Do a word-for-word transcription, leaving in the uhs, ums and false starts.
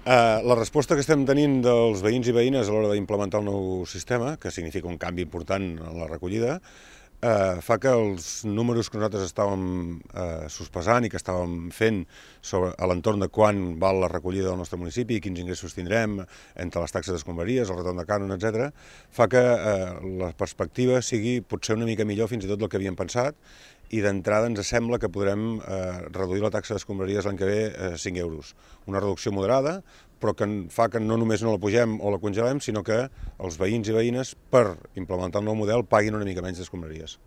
Eh, la resposta que estem tenint dels veïns i veïnes a l'hora d'implementar el nou sistema, que significa un canvi important en la recollida, eh, fa que els números que nosaltres estàvem eh, sospesant i que estàvem fent sobre, a l'entorn de quan val la recollida del nostre municipi, quins ingressos tindrem entre les taxes d'escombraries, el retorn de cànon, etcètera, fa que eh, la perspectiva sigui potser una mica millor fins i tot del que havíem pensat, i d'entrada ens sembla que podrem eh, reduir la taxa d'escombraries l'any que ve a eh, cinc euros. Una reducció moderada, però que fa que no només no la pugem o la congelem, sinó que els veïns i veïnes, per implementar el nou model, paguin una mica menys d'escombraries.